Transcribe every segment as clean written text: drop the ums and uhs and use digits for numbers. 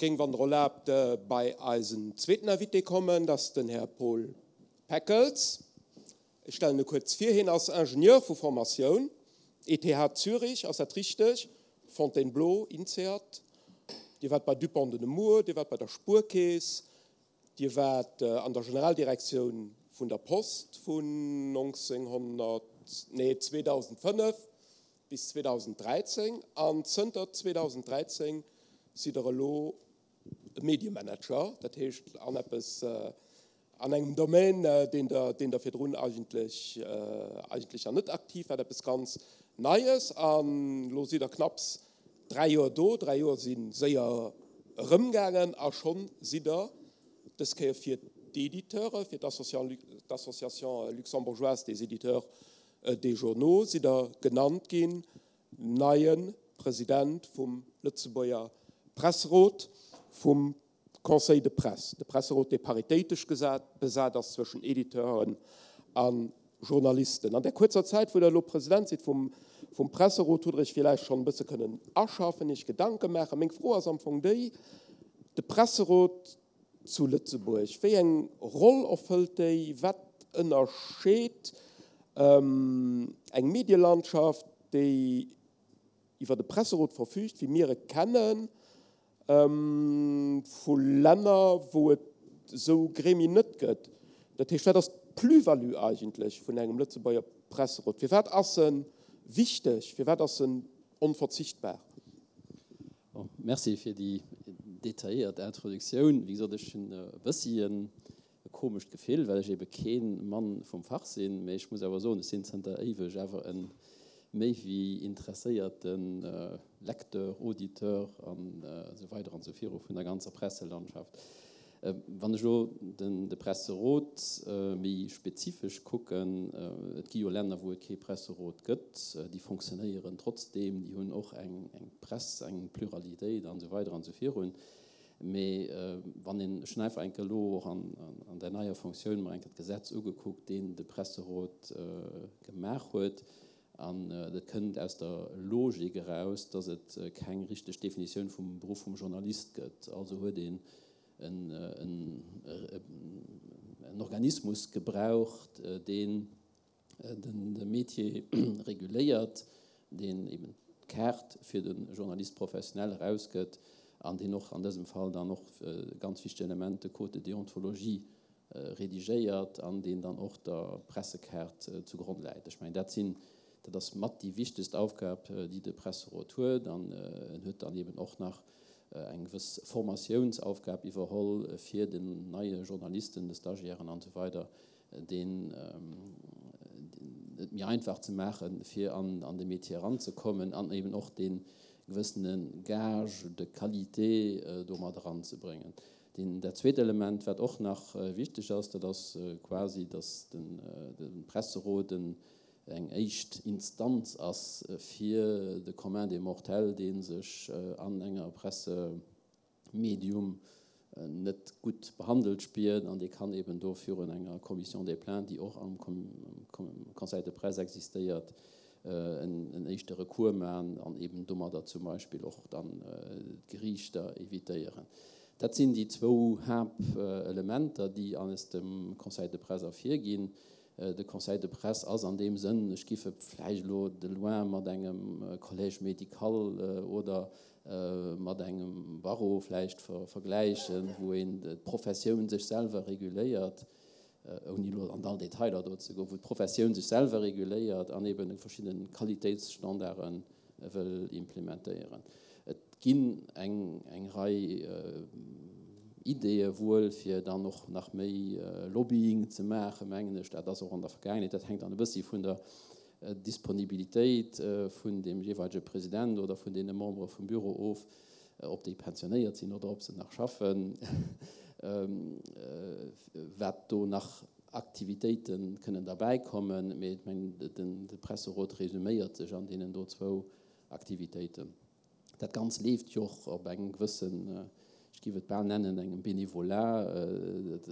géing, wann Der erlaabt, bei eisen zweeten Invité kommen, dat ass den Här Paul Peckels. Ech stellen e kuerz vir, Hien ass Ingenieur vu Formatioun, ETH Zürich, ass dat richteg? Fontainebleau, INSEAD. Dir waart bei Dupont de Nemours, Dir waart bei der Spuerkeess, Dir waart an der Generaldirektioun vun der Post vun 1900, nee 2005 bis 2013 an zënter 2013 sidd Der elo Mediemanager, dat heescht an eppes, an engem Domaine, deen Der, deen Der virdrun eigentlech, eigentlech nach net aktiv waart, eppes ganz Neies. An elo sidd Der knapps 3 Joer do, 3 Joer si séier erëmgaangen a schonn sidd Der dës Kéier fir d'Editeure, fir d'Association luxembourgeoise des éditeurs des journaux sidd Der genannt ginn, neie President vum Lëtzebuerger Presserot, vum Conseil de presse, de Presserot, dee paritéitesch besat ass zwëschen Editeuren a Journalisten. An där kuerzer Zäit, wou Der elo President sidd vum Presserot, hutt Der Iech villäicht schonn e bësse kënnen aschaffen, Iech Gedanke maachen. Meng Fro ass am Fong déi, De Presserot zu Lëtzebuerg, wéi eng Roll erfëllt déi? Wat ënnerscheet eng Medielandschaft, déi iwwer e Presserot verfüügt, wéi mir e kennen, vu Länner, wou et esou Gremien net gëtt. Dat heescht, wat ass d'Plus-value eigentlech vun engem Lëtzebuerger Presserot? Firwat ass e wichteg? Firwat ass en onverzichtbar? Bon, merci fir déi detailléiert Introduktioun. Wéi gesot, ech hunn e bëssi e komescht Gefill, well ech ebe kee Mann vum Fach sinn. Mee ech muss awer soen, ech sinn zënter éiweg awer e méi wéi interesséierte Lecteur, Auditeur an esou weider an esou viru vun der ganzer Presselandschaft. Wann ech elo de Presserot méi spezifesch kucken, et gi jo Länner, wou et kee Presserot gëtt, déi fonctionnéieren trotzdeem, déi hunn och eng Press, eng Pluralitéit an esou weider an esou virun. Mee wann een, ech hunn einfach eng Kéier elo och an där neier Fonctioun mer eng Kéier d'Gesetz ugekuckt, deen de Presserot gemaach huet, an dat kënnt aus der Logik eraus, dass et keng richteg Definitioun vum Beruff vum Journalist gëtt. Also huet een en Organismus gebraucht, deen de Métier reguléiert, deen eben d'Kaart fir de Journaliste professionnel erausgëtt an deen och an dësem Fall dann och ganz wichteg Element, de Code de déontologie, redigéiert an deen dann och der Pressekaart zugronn läit. Ech mengen, dat sinn, dat ass mat déi wichtegst Aufgab, déi de Presserot huet. An en huet dann eben och nach eng gewëss Formatiounsaufgab iwwerholl fir den neie Journalisten, de Stagiairen an esou weider, deen et méi einfach ze maachen, fir an de Métier eranzekommen an eben och dee gewëssene Gage de qualité do mat eranzebréngen. Deen, dat zweet Element, wat och nach wichteg ass, dat ass quasi, dass de Presserot eng éischt Instanz ass fir de Commun des mortels, dee sech an enger Pressemedium net gutt behandelt spiert an dee kann eben do virun enger Commission des plaintes, déi och am Conseil de presse existéiert, en éischte Recours maachen an eben domadder zum Beispill och dann d'Geriichter évitéieren. Dat sinn déi zwou Haaptelementer, déi aus dem Conseil de presse ervirginn. De Conseil de presse ass an deem Sënn, ech giff e vläicht elo de loin mat engem Collège médical oder mat engem Barreau vläicht vergläichen, wou een d'Professioun sech selwer reguléiert, ouni elo an all Detailer do ze goen, wou d'Professioun sech selwer reguléiert an eben verschidde Qualitéitsstandarde wëll implementéieren. Et ginn eng Rei Ideeë wuel, fir dann och nach méi Lobbying ze maachen, mengen ech. Dat ass och an der Vergaangenheet, dat hänkt dann e bëssi vun der Disponibilitéit vun deem jeeweilege President oder vun deene Membere vum Büro of, ob déi pensionéiert sinn oder ob se nach schaffen, wat do nach Aktivitéite kënnen derbäikommen. Mee ech mengen, de Presserot resuméiert sech an deenen do zwou Aktivitéiten. Dat Ganzt leeft jo och op engem gewëssen, ech géif et bal nennen, engem Bénévolat.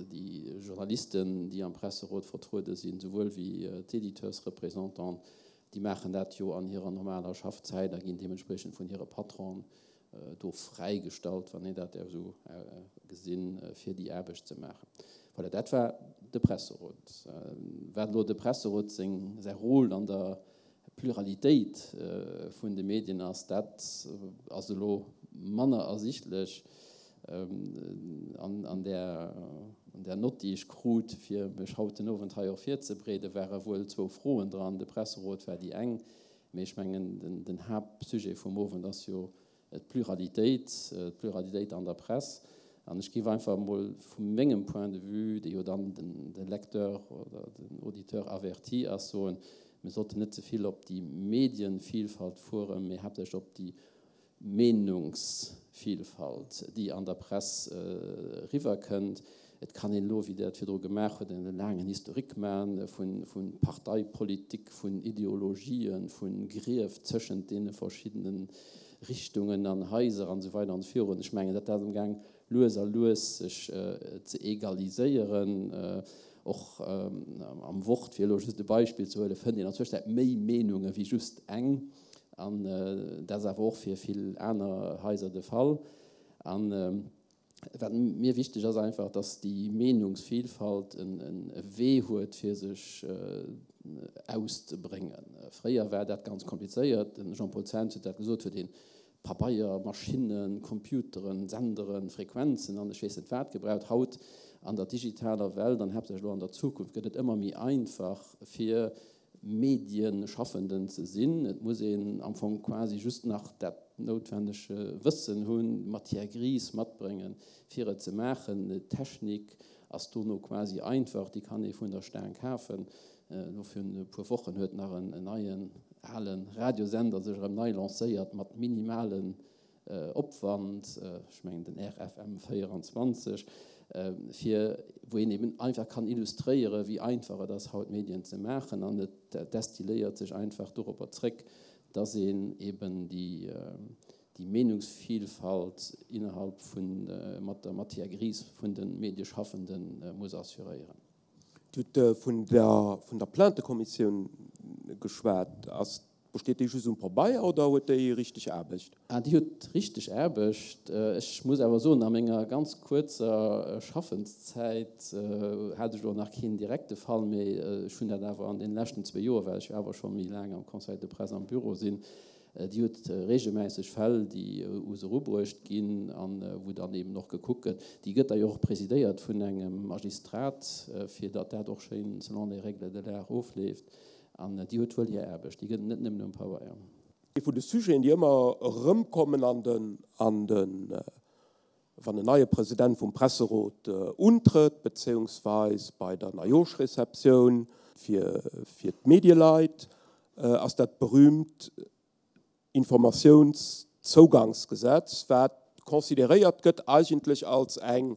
Déi Journalisten, déi am Presserot vertruede sinn, souwuel wéi d'Éditeursreprésentants, déi maachen dat jo an hirer normaler Schaffzäit a ginn deementspriechend vun hire Patronen. do fräigestallt, wann een dat däerf esou gesinn, fir déi Aarbecht ze maachen. Voilà, dat war de Presserot. Wat elo de Presserot seng, säi Rôle an der Pluralitéit vun de Medien ass, dat ass elo manner ersichtlech an där, an där Nott, déi ech krut, fir mech haut den Owend hei och virzebreeden, ware wuel zwou Froen dran. De Presserot war déi eng, Mee ech mengen, den Haaptsujet vum Owend ass jo d'Pluralitéit, d'Pluralitéit an der Press. An ech géif einfach emol vu mengem Point de vue, dee jo dann de Lecteur oder den Auditeur averti ass, soen, mir sollten net ze vill op déi Medienvielfalt fueren, mee haaptsächlech op déi Meenungsvielfalt, déi an der Press eriwwerkënnt. Et kann een elo, wéi Der et virdru gemaach hutt, en laangen Historique maachen vu Parteipolitik, vun Ideologien, vu Grief tëschent deene verschiddene Richtungen an Haiser an esou weider an esou virun. Ech mengen, dat ass amgaang lues a lues sech ze egaliséieren. Och am Wort, fir elo just e Beispill ze huelen, fënnt een an Zwëschenzäit méi Meenunge wéi just eng. An dat ass awer och fir vill aner Haiser de Fall. A wat mir wichteg ass einfach, dass déi Meenungsvielfalt e Wee huet, fir sech auszebréngen. Fréier war dat ganz komplizéiert, de Jean-Paul Zens huet dat gesot, huet ee Pabeier, Maschinnen, Computeren, Senderen, Frequenzen an ech weess net wat gebraucht. Haut an der digitaler Welt an haaptsächlech elo an der Zukunft gëtt et ëmmer méi einfach, fir Medienschaffenden ze sinn. Et muss een am Fong quasi just nach dat noutwennege Wëssen hunn, d'Matière grise matbréngen, fir et ze maachen. D'Technik ass dono quasi einfach, déi kann ee vun der Staang kafen. Elo virun e puer Wochen huet nach en neien ale Radiosender sech erëm nei lancéiert mat minimalen Opwand, ech mengen den RFM 24, fir wou een eben einfach kann illustréieren, wéi einfach et ass haut Medien ze maachen an et destilléiert sech einfach doropper zréck, dass een eben déi déi Meenungsvielfalt innerhalb vun mat der Matière grise vun de Medieschaffenden muss assuréieren. Dir hutt vun der vun der Plaintekommissioun geschwat. Ass Besteet déi just um Pabeier oder huet déi richteg Aarbecht? Ah, déi huet richteg Aarbecht. Ech muss awer soen, a menger ganz kuerzer Schaffenszäit hat ech elo nach keen direkte Fall, mee ech hunn dat awer an deene leschten zwee Joer, well ech jo awer scho méi laang am Conseil de presse am Büro sinn, déi huet regelmäisseg Fäll, déi u se erubruecht ginn a wou dann eeben och gekuckt gëtt. Déi gëtt da jo och presidéiert vun engem Magistrat, fir datt dat och schéin selon les règles de l'art ofleeft. An déi huet wuel hir Aarbecht, déi gëtt et net nëmmen um Pabeier. Ee vun de Sujeten, déi ëmmer erëmkommen an den, an den, wann en neie President vum Presserot untrëtt, bezéiungsweis bei der Neijooschreceptioun fir, fir d'Medieleit, ass dat berühmt Informatiounszougangsgesetz, wat consideréiert gëtt eigentlech als eng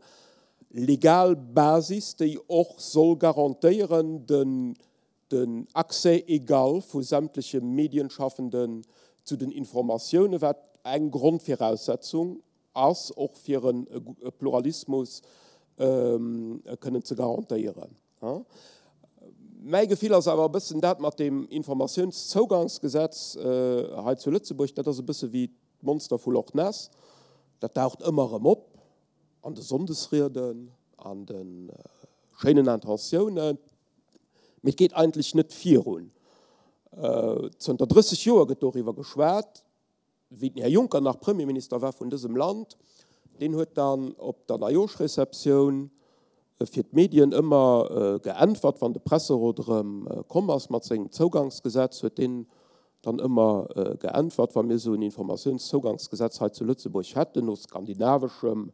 legal Basis, déi och soll garantéieren den den Accès égal vu sämtleche Medienschaffenden zu den Informatiounen, wat eng Grondviraussetzung ass och fir e Pluralismus kënnen ze garantéieren. Mäi Gefill ass awer e bëssen dat mat deem Informatiounszougangsgesetz hei zu Lëtzebuerg, dat ass e bësse wéi d'Monster vu Loch Ness, dat daucht ëmmer erëm op an de Sonndesrieden, an de schéinen Intentiounen, mee et geet eigentlech net virun. Zënter 30 Joer gëtt doriwwer geschwat. Wéi den Här Juncker nach Premierminister war vun dësem Land, deen huet dann op der Neijooschreceptioun fir d'Medien ëmmer geäntwert, wann de Presserot erëm komm ass mat sengem Zougangsgesetz, huet deen dann ëmmer geäntwert, wa mir esou en Informatiounszougangsgesetz hei zu Lëtzebuerg hätten, no skandinaveschem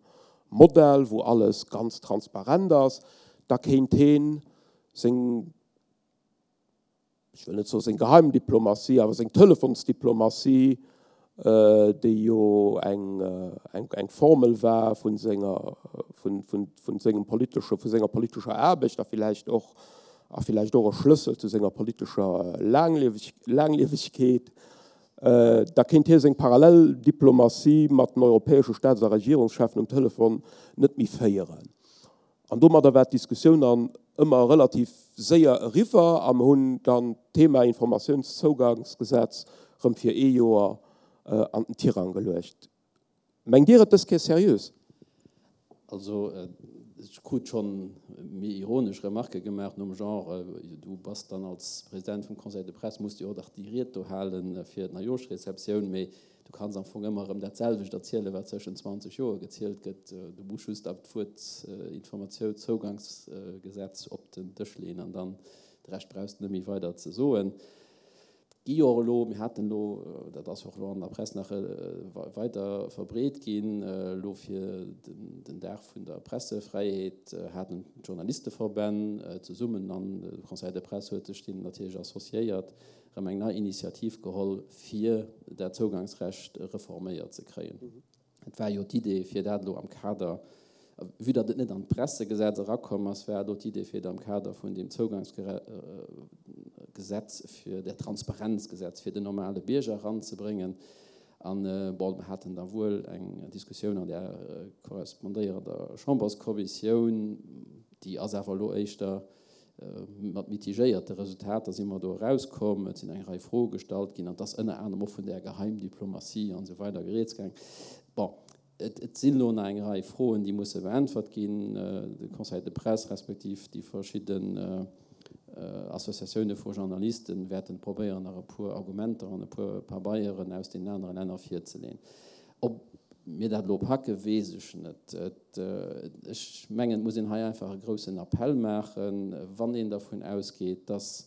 Modell, wou alles ganz transparent ass, da kéint heen seng, ech wëll net soe seng Geheimdiplomatie, awer seng Telefonsdiplomatie, déi jo eng Formel war vu senger, vu sengem politesche, vu senger politescher Aarbecht a villäicht och, a villäicht och e Schlëssel zu senger politescher Laangliewegkeet, da kéint hie seng parallel Diplomatie mat den europäesche Staats a Regierungscheffen um Telefon net méi féieren. An domadder war d'Diskussioun dann ëmmer relativ séier eriwwer a mer hunn dann d'Thema Informatiounszougangsgesetz erëm fir ee Joer an den Tirang geluecht. Mengt Dir et dës Kéier seriös? Also, ech krut schonn méi ironesch Remarquë gemaach nom Genre, Du bass dann als President vum Conseil de Presse, muss de jo och dach déi Ried do hale fir d'Neijooschreceptioun, mee du kanns am Fong ëmmer erëm dat selwecht erzielen, wat zwëschen 20 Joer gezielt gëtt. Du muss just dat Wuert Informatiounszougangsgesetz op den Dësch leeën an dann de Rescht brauchs de net méi weider ze soen. Gi jo och elo, mir haten elo, dat ass och elo an der Press nach weider verbreet ginn, elo fir den Dag vun der Pressefräiheet haten d'Journalisteverbänn zesummen, an de Conseil de Presse huet sech deenen natierlech associéiert, erëm eng nei Initiativ geholl, fir dat Zougangsrecht reforméiert ze kréien. Et war jo d'Idee, fir dat elo am Kader, vue datt et net an d'Pressegesetz erakomm ass, war elo d'Idee, fir et am Kader vun deem Zougangsgesetz, fir där Transparenzgesetz fir den normale Bierger eranzebréngen. An, bon, mer haten da wuel eng Diskussioun an där korrespondéierender Chamberskommissioun, déi ass awer elo éischter Mat mitigéierte Resultater si mer do erauskomm. Et sinn eng Rei Froe gestallt ginn an et ass ënner anerem och vun där Geheimdiplomatie an esou weider rieds gaang. Bon, et sinn elo nach eng Rei Froen, déi musse beäntwert ginn. De Conseil de presse respektiv déi verschidden Associatioune vu Journalisten wäerten probéieren, nach e puer Argumenter an e puer Pabeieren aus deenen anere Länner virzeleen. Ob mir dat elo packe weess ech net. Ech mengen, et muss een hei einfach e groussen Appell maachen, wann een dervun ausgeet, datt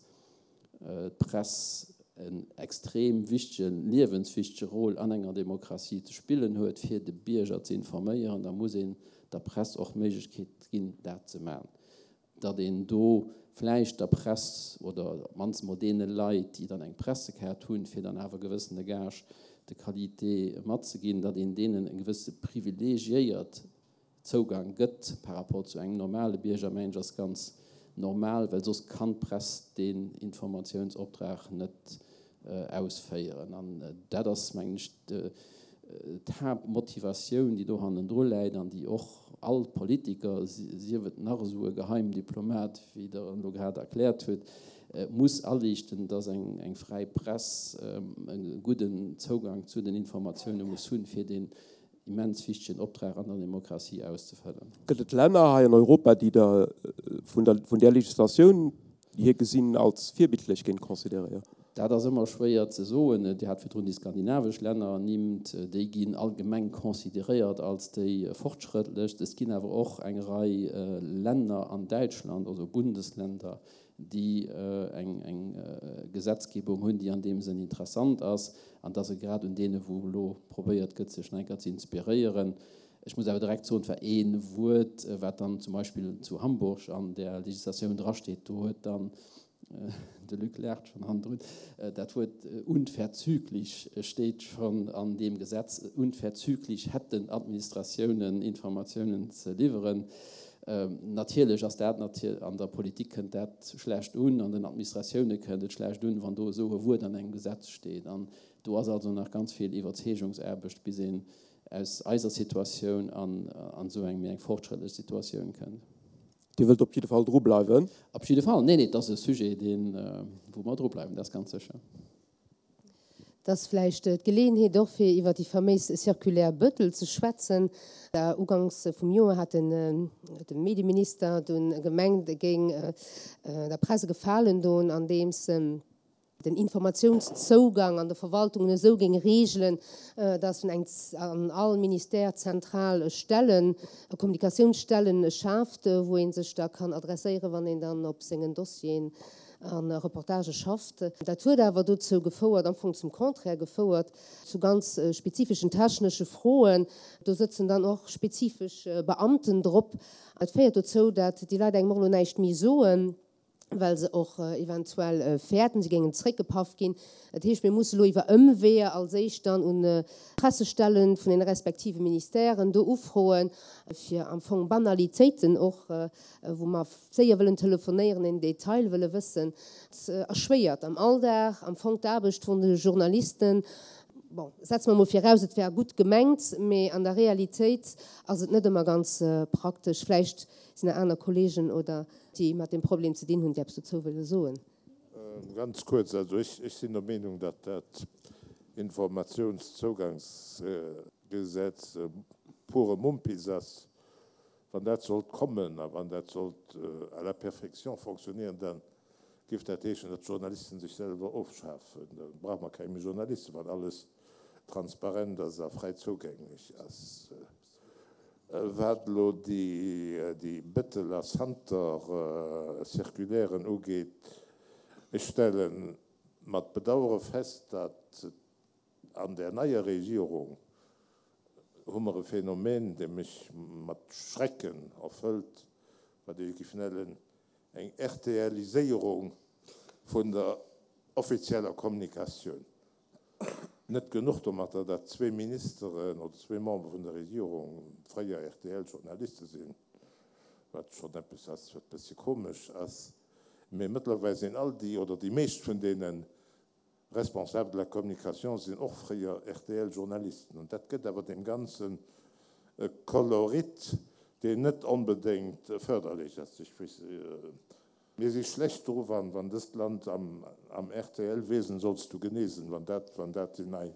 d'Press en extrem wichtegen, liewenswichtege Rôle an enger Demokratie ze spillen huet, fir de Bierger ze informéieren, da muss een der Press och d'Méiglechkeet ginn, dat ze maachen. datt een do vläicht der Press oder op d'mannst emol deene Leit, déi dann eng Pressekaart hunn, fir dann awer gewëssene Gage de qualité matzeginn, datt een deenen e gewësse privilegiéiert Zougang gëtt par rapport zu engem normale Bierger, mengen ech, ass ganz normal, well soss kann d'Press deen Informatiounsoptrag net ausféieren. An dat ass, mengen ech, d'Haaptmotivatioun, déi do hannendru läit an déi och all Politiker, sief et nach esou e Geheimdiplomat, wéi Der en elo grad erkläert hutt, muss aliichten, dass eng fräi Press e gudden Zougang zu den Informatioune muss hunn, fir deen immens wichtegen Optrag an der Demokratie auszefëllen. Gëtt et Länner hei an Europa, déi Der vun der, vun där Legislatioun hier gesinn als virbildlech géint consideréieren? Dat ass ëmmer schwéier ze soen. Dir hat virdrun déi skandinavesch Länner ernimmt. Déi ginn allgemeng consideréiert als déi fortschrëttlechst. Et ginn awer och eng Rei Länner an Däitschland, also Bundesländer, déi eng Gesetzgebung hunn, déi an deem Sënn interessant ass. An et ass e grad un deene wou elo probéiert gëtt, sech nach eng Kéier ze inspiréieren. Ech muss awer direkt soen, et war ee Wuert, wat dann zum Beispill zu Hamburg an där Legislatioun drasteet, do huet dann de Luc laacht schonn hannendrun, dat Wuert unverzüglich steet schonn an deem Gesetz, unverzüglich hätten Administratiounen Informatiounen ze liwweren. Natierlech ass dat, an der Politik kënnt dat schlecht un, an den Administratioune kënnt et schlecht un, wann do esou e Wuert an engem Gesetz steet. An do ass also nach ganz vill Iwwerzeegungsaarbecht, bis een aus eiser Situatioun an esou eng méi eng fortschrëttlech Situatioun kënnt. Dir wëllt op jidde Fall drubleiwen? Op jidde Fall. Neen, nee, et ass e Sujet, deen, wou mer drubleiwen, dat ass ganz sécher. Et ass vläicht d'Geleeënheet och, fir iwwer déi faméis Circulaire Bettel ze schwätzen. Uganks vum Joer hat de Medieminister dunn gemengt, e géing der Press e Gefalen doen, andeems en den Informatiounszougang an de Verwaltungen esou géing reegelen, datt en eng an all Ministère zentral Stellen, Kommunikatiounsstellen schaaft, wou ee sech da kann adresséieren, wann een dann op sengen Dossieren a Reportagë schafft. Dat huet awer dozou gefouert, am Fong zum Contraire gefouert, zu ganz spezifeschen technesche Froen. Do sëtzen dann och spezifesch Beamten drop. Dat féiert dozou, dat déi Leit engem och elo näischt méi soen, well se och eventuell fäerten, se géingen zréckgepaff ginn. Dat heescht, mir musse elo iwwer Ëmweeër als éischt dann un d'Pressestelle vun den respektive Ministèren do ufroen, fir am Fong Banalitéiten och, wou mer séier wëllen telefonéieren, en Detail wëlle wëssen, erschwéiert am Alldag am Fong d'Aarbecht vun de Journalisten. Bon, setze mer emol viraus, et wär gutt gemengt, mee an der Realitéit ass et net ëmmer ganz praktesch. Vläicht sinn nach aner Kollegen oder déi mat deem Problem ze dinn hunn, déi eppes dozou wëlle soen. Ganz kuerz, also ech sinn der Meenung, datt dat Informatiounszougangsgesetz. Gesetz pure Mumpitz ass, wann dat sollt kommen a wann dat sollt à la perfection fonctionnieren, da géif dat heeschen, datt d'Journalisten sech selwer ofschafen. Da brauche mer keng méi Journalisten, wann alles transparent ass a fräi zougänglech ass. Wat elo déi Bëttel a Santer-Circulairen ugeet, ech stelle mat Bedauere fest, datt An där neier Regierung hu mer e Phänomen, dee mech mat Schrecken erfëllt, wat ech géif nennen eng RTLiséierung vun der offizieller Kommunikatioun. Net genuch domatter, datt zwee Ministeren oder zwee Membere vun der Regierung fréier RTL-Journaliste sinn, wat schonn eppes ass, wat e bëssche komesch ass, mee mëttlerweil sinn all déi oder déi meescht vun deenen Responsables de la communication sinn och fréier RTL-Journalisten. An dat gëtt awer deem Ganzen e Kolorit, deen net onbedéngt fërderlech ass. Ech weess, mir si schlecht dru, wann, wann dëst Land am, am RTL-Wesen sollst du genesen, wann dat, wann dat déi nei,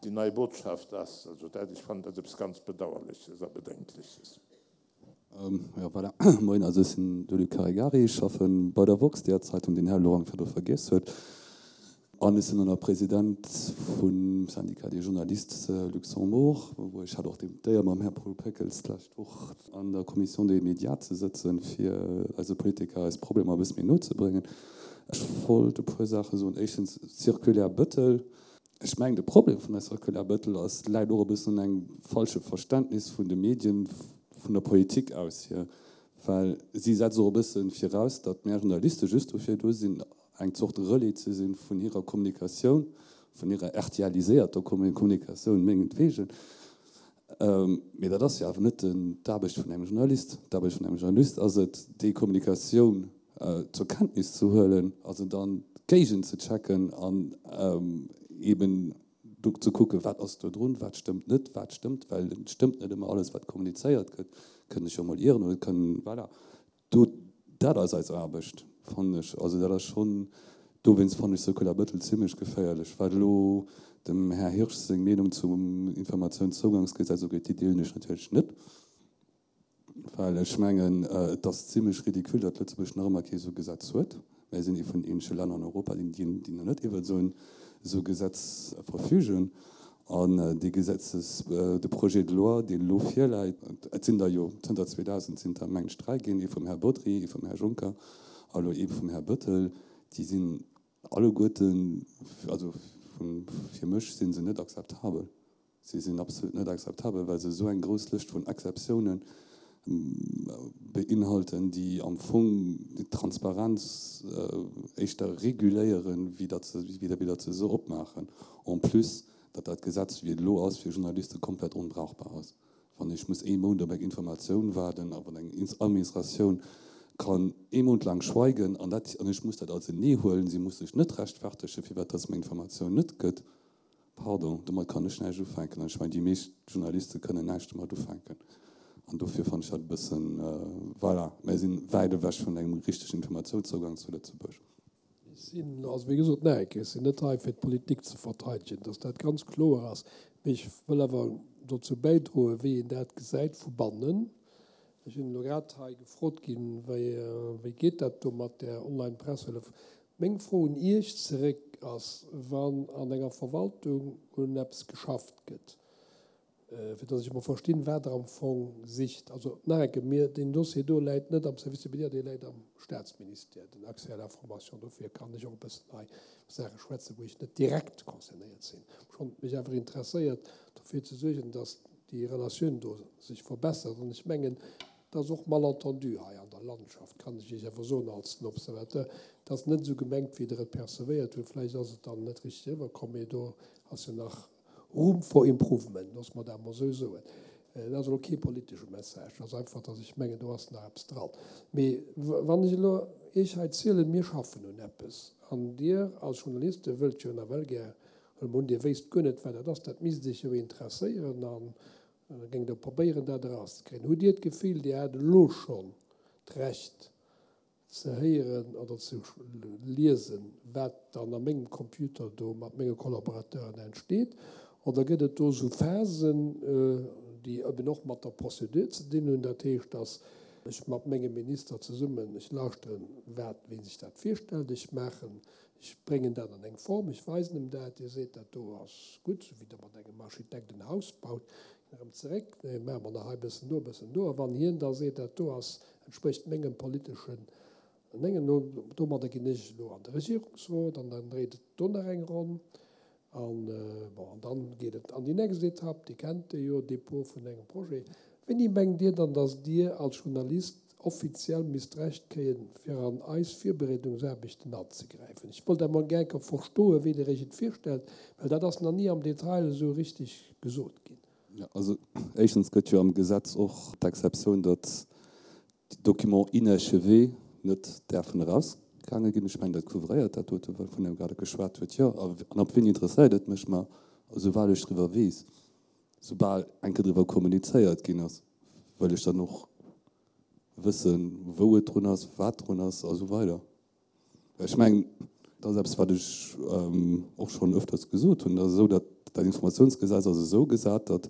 déi nei Botschaft ass. Also dat, ech fannen dat eppes ganz Bedauerleches a Bedenkleches. Jo, voilà. Moien, also ech sinn de Luc Caregari, ech schaffe bei der woxx, deeër Zeitung, déi den Här Lorang virdu vergiess huet. An ech sinn och nach President vum Syndicat des journalistes Luxembourg, wou ech hat och d'Éier mam Här Paul Peckels d'lescht Woch an der Commission des médias ze sëtzen, fir eise Politiker eis Problemer e bësse méi no ze bréngen. Ech wollt e puer Saache soen. Éischtens, Circulaire Bettel. Ech mengen, de Problem vun der Circulaire Bettel ass, läit och e bëssen un engem falsche Verständnis vun de Medien, vun der Politik aus hier, well si setzt och e bësse viraus, datt mär Journaliste just dofir do sinn, eng Zort Relais ze sinn vun hirer Kommunikatioun, vun hirer RTLiséierter Kommunikatioun mengetwegen. Mee dat ass jo awer net d'Aarbecht vun engem Journalist. D'Aarbecht vun engem Journalist ass et, déi Kommunikatioun zur Kenntnis ze huelen a se dann géigenzechecken an eeben do ze kucken, wat ass do drun, wat stëmmt net, wat stëmmt, well et stëmmt net ëmmer alles, wat kommunizéiert gëtt, kënn ech jo emol ieren oder et kënn, voilà. Do, dat ass eis Aarbecht, fannen ech. Also dat ass schonn, dowéinst fannen ech Circular Bëttel zimlech geféierlech. Wat elo dem Här Hirsch seng Meenung zum Informatiounszougangsgesetz ugeet, déi deelen ech natierlech net, well ech mengen, et ass zimlech ridicule, datt Lëtzebuerg nach ëmmer kee esou Gesetz huet. Mir sinn ee vun den eenzege Länner an Europa, déi nach net iwwer esou en Gesetz verfügen. An dee Gesetzes, de Projet de loi, deen elo virläit, et sinn der jo zënter 2000 sinn der, mengen ech, dräi ginn, ee vum Här Bodry, ee vum Här Juncker a elo ee vum Här Bettel, déi sinn alleguerten, also fir mech si se net akzeptabel. Si sinn absolut net akzeptabel, well se esou eng grouss Lëscht vun Exceptiounen beinhalten, déi am Fong d'Transparenz éischter reguléieren, wéi datt se, wéi datt se se opmaachen. En plus, datt dat Gesetz, wéi et elo ass, fir Journaliste komplett onbrauchbar ass. Wann ech muss ee Mount op eng Informatioun waarden a wann eng Administratioun kann ee Mount laang schweigen an dat, an ech muss dat als en Nee huelen, si muss sech net rechtfertegen, firwat datt se mer Informatioun net gëtt, Pardon, domat kann ech näischt ufänken. An ech mengen, déi meescht Journaliste kënnen näischt domat ufänken. An dofir fannen ech dat e bëssen, voilà, mir si wäit ewech vun engem richtegen Informatiounszougang zu Lëtzebuerg. Ech sinn, also wéi gesot, nach eng Kéier, ech sinn net hei fir d'Politik ze verteidegen, dass dat ganz kloer ass. Mee ech wëll awer dozou bäidroen, wéi een dat gesäit vu bannen. Ech sinn elo grad hei gefrot ginn, wéi, wéi geet dat do mat där Online-Pressehëllef? Meng Fro un Iech zeréck ass, Wann an enger Verwaltung un eppes geschafft gëtt, fir datt ech emol verstinn, wat Der am Fong sicht, also nach eng Kéier, mir, deen Dossier do läit net am Service des médias, dee läit am Statsministère, den Accès à l'information, dofir kann ech och e bëssen hei iwwer Saache schwätzen, wou ech net direkt concernéiert sinn. Obschonn et mech awer interesséiert, dofir ze suergen, datt déi Relatioun do sech verbessert. An ech mengen, Et ass och Malentendu hei an der Landschaft, kann ech Iech awer soen als den Observateur. Et ass net esou gemengt, wéi Der et percevéiert hutt. Vläicht ass et dann net richteg eriwwerkomm, mee do ass jo nach Room for improvement, loosse mer dat emol esou soen. Dat ass elo kee politesche Message, dat ass einfach, datt ech mengen, do ass nach eppes dran. Mee wann ech elo Iech hei zielen, mir schaffen un eppes, an Dir als Journaliste wëllt jo nawell gär, huele mer un, Dir wéisst guer net, wat dat ass, dat misst Iech jo interesséieren an Da géingt Der probéieren, dat erauszekréien. Hutt Dir d'Gefill, Dir hätt elo schonn d'Recht ze héieren oder ze liesen, wat dann a mengem Computer do mat menge Collaborateuren entsteet? Oder gëtt et do esou Phasen, déi eben och mat der Procédure ze dinn hunn? Dat heescht, datt ech mat mengem Minister zesummen, ech lauschteren, wat, wéi sech dat virstellt, ech maachen, ech bréngen dat an eng Form, ech weisen em dat, hie seet, dat do ass gutt, esou wéi Der mat engem Architekt en Haus baut, erëm zeréck, nee, maache mer nach hei e bëssen do, e bëssen do. A wann hien da seet, dat do ass, entsprécht mengem politeschen Mengen, domadder ginn ech elo an de Regierungsrot an dann dréit et do nach eng Ronn. An, bon, an dann geet et an déi nächst Etapp, Dir kennt déi jo, Dépôt vun engem Projet. Wéini mengt Dir dann, datt Dir als Journalist offiziell misst d'Recht kréien, fir an eis Virbereedungsaarbechten anzegräifen? Ech wollt emol gär enker verstoen, wéi Der Iech et virstellt, well dat ass nach ni am Detail esou richtig gesot ginn. Jo, also éischtens gëtt jo am Gesetz och d'Exceptioun, datt déi Documents inachevés net däerfen erausgaange ginn. Ech mengen, dat couvréiert dat dote, wouvun Der grad geschwat hutt. Jo, an op wien interesséiert et mech? Ma esoubal ech driwwer weess, soubal eng Kéier driwwer kommunizéiert ginn ass, wëll ech dann och wëssen, wou et drun ass, wat drun ass a sou weider. Ech mengen, dat ass eppes, wat ech och schonn öfters gesot hunn, dat ass esou, datt dat Informationsgesetz ass esou gesat, datt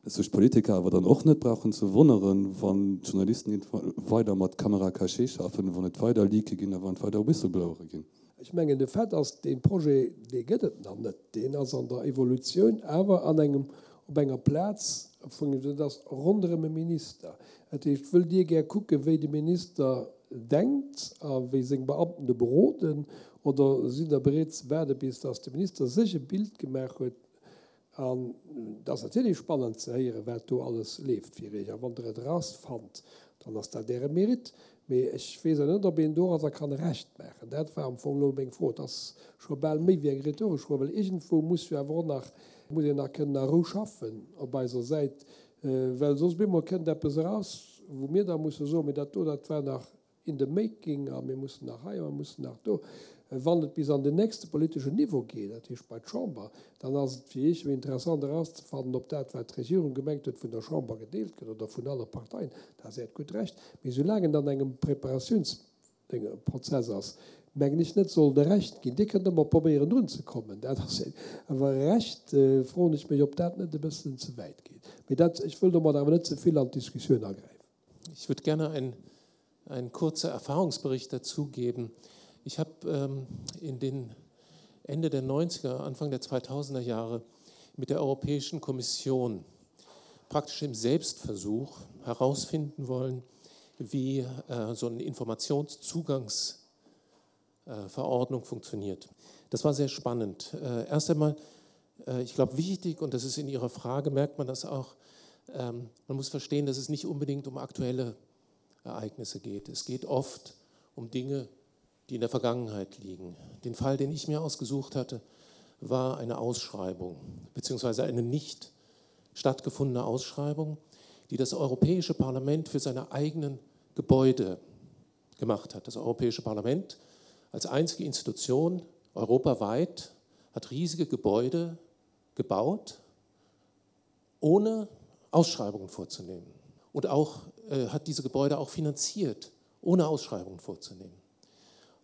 sech d'Politiker awer dann och net brauchen ze wonneren, wann d'Journalisten weider mat Caméra cachée schaffen, wann et weider Leake ginn a wann et weider Whistleblowere ginn. Ech mengen, de Fait ass, dee Projet, dee gëtt et nach net. Deen ass an der Evolutioun, awer an engem, op enger Plaz, vun, dat ass ronderëm e Minister. Dat heescht, wëllt Dir gär kucken, wéi de Minister denkt a wéi seng Beamten e beroden, oder sidd Der bereet ze waarde bis datt de Minister sech e Bild gemaach huet? An et ass natierlech spannend ze héieren, wat do alles leeft fir Iech. A wann Der et erausfannt, dann ass dat Äre Mérite. Mee ech weess awer net, ob een doradder kann e Recht maachen. Dat war am Fong elo meng Fro. Et ass scho bal méi wéi eng rhetoresch Fro, well iergendwou muss jo awer och nach, muss een nach kënnen a Rou schaffen op eiser Säit, well soss op eemol kënnt eppes eraus, wou mir da musse soen, mee dat do, dat war nach in the making a mir mussen nach hei a mir mussen nach do. Wann et bis an den nächste politeschen Niveau geet, dat heescht bei d'Chamber, dann ass et fir Iech jo interessant erauszefannen, ob dat, wat d'Regierung gemengt huet, vun der Chamber gedeelt gëtt oder vun alle Parteien. Dat ass Äert gutt Recht. Mee soulaang et an engem Preparatiounsprozess ass, mengen ech net, soll et e Recht ginn. Dir kënnt ëmmer probéieren drunzekommen, dat ass een. Awer e Recht, froen ech mech, ob dat net e bëssen ze wäit geet. Mee dat, ech wëll domat awer net ze vill an d'Diskussioun agräifen. Ich würde gerne ein, einen kurzen Erfahrungsbericht dazu geben. Ich habe ähm, in den Ende der 90er, Anfang der 2000er Jahre mit der Europäischen Kommission praktisch im Selbstversuch herausfinden wollen, wie äh, so eine Informationszugangsverordnung äh, funktioniert. Das war sehr spannend. Äh, erst einmal, äh, ich glaube, wichtig, und das ist in Ihrer Frage, merkt man das auch, ähm, man muss verstehen, dass es nicht unbedingt um aktuelle Ereignisse geht. Es geht oft um Dinge, die in der Vergangenheit liegen. Den Fall, den ich mir ausgesucht hatte, war eine Ausschreibung beziehungsweise eine nicht stattgefundene Ausschreibung, die das Europäische Parlament für seine eigenen Gebäude gemacht hat. Das Europäische Parlament als einzige Institution europaweit hat riesige Gebäude gebaut, ohne Ausschreibungen vorzunehmen. Und auch äh, hat diese Gebäude auch finanziert, ohne Ausschreibungen vorzunehmen.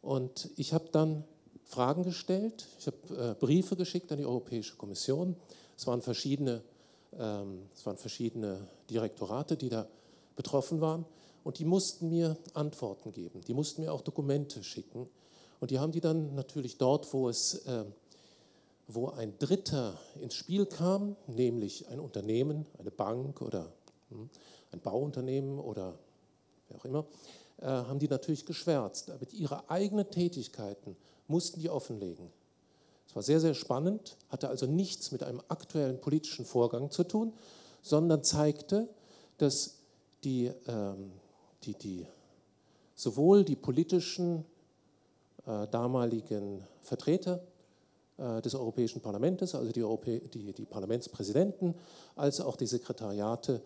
Und ich habe dann Fragen gestellt, ich habe äh, Briefe geschickt an die Europäische Kommission. Es waren verschiedene, ähm, es waren verschiedene Direktorate, die da betroffen waren. Und die mussten mir Antworten geben. Die mussten mir auch Dokumente schicken. Und die haben die dann natürlich dort, wo es äh, wo ein Dritter ins Spiel kam, nämlich ein Unternehmen, eine Bank oder hm, ein Bauunternehmen oder wer auch immer, äh, haben die natürlich geschwärzt. Aber ihre eigenen Tätigkeiten mussten die offenlegen. Es war sehr, sehr spannend, hatte also nichts mit einem aktuellen politischen Vorgang zu tun, sondern zeigte, dass die, ähm, die, die, sowohl die politischen äh, damaligen Vertreter äh, des Europäischen Parlaments, also die, Europä die, die Parlamentspräsidenten, als auch die Sekretariate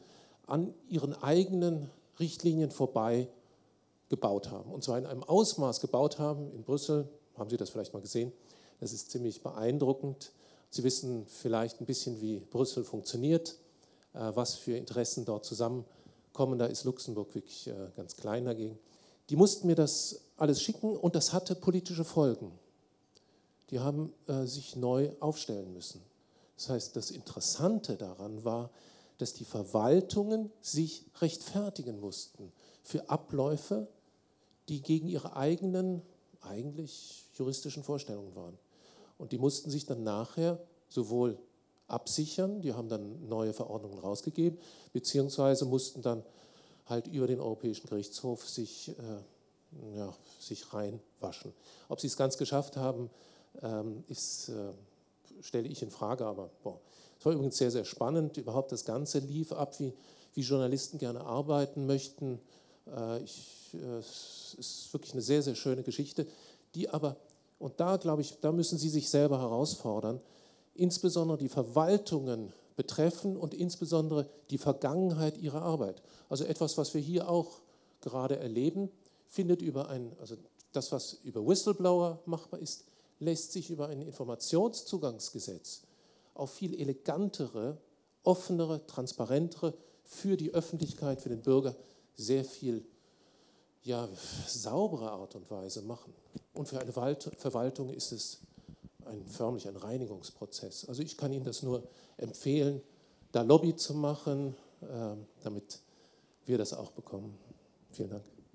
an ihren eigenen Richtlinien vorbei gebaut haben. Und zwar in einem Ausmaß gebaut haben, in Brüssel, haben Sie das vielleicht mal gesehen, das ist ziemlich beeindruckend. Sie wissen vielleicht ein bisschen, wie Brüssel funktioniert, äh, was für Interessen dort zusammenkommen. Da ist Luxemburg wirklich äh, ganz klein dagegen. Die mussten mir das alles schicken und das hatte politische Folgen. Die haben äh, sich neu aufstellen müssen. Das heißt, das Interessante daran war, dass die Verwaltungen sich rechtfertigen mussten für Abläufe, die gegen ihre eigenen eigentlich juristischen Vorstellungen waren. Und die mussten sich dann nachher sowohl absichern, die haben dann neue Verordnungen rausgegeben, beziehungsweise mussten dann halt über den Europäischen Gerichtshof sich, äh, ja, sich reinwaschen. Ob sie es ganz geschafft haben, ähm, ist, äh, stelle ich in Frage, aber boah. Es war übrigens sehr, sehr spannend. Überhaupt das Ganze lief ab, wie, wie Journalisten gerne arbeiten möchten. Äh, ich, äh, es ist wirklich eine sehr, sehr schöne Geschichte, die aber, und da glaube ich, da müssen Sie sich selber herausfordern, insbesondere die Verwaltungen betreffen und insbesondere die Vergangenheit ihrer Arbeit. Also etwas, was wir hier auch gerade erleben, findet über ein, also das, was über Whistleblower machbar ist, lässt sich über ein Informationszugangsgesetz auf viel elegantere, offenere, transparentere für die Öffentlichkeit, für den Bürger sehr viel ja, saubere Art und Weise machen. Und für eine Verwaltung ist es ein, förmlich ein Reinigungsprozess. Also ich kann Ihnen das nur empfehlen, da Lobby zu machen, äh, damit wir das auch bekommen. Vielen Dank.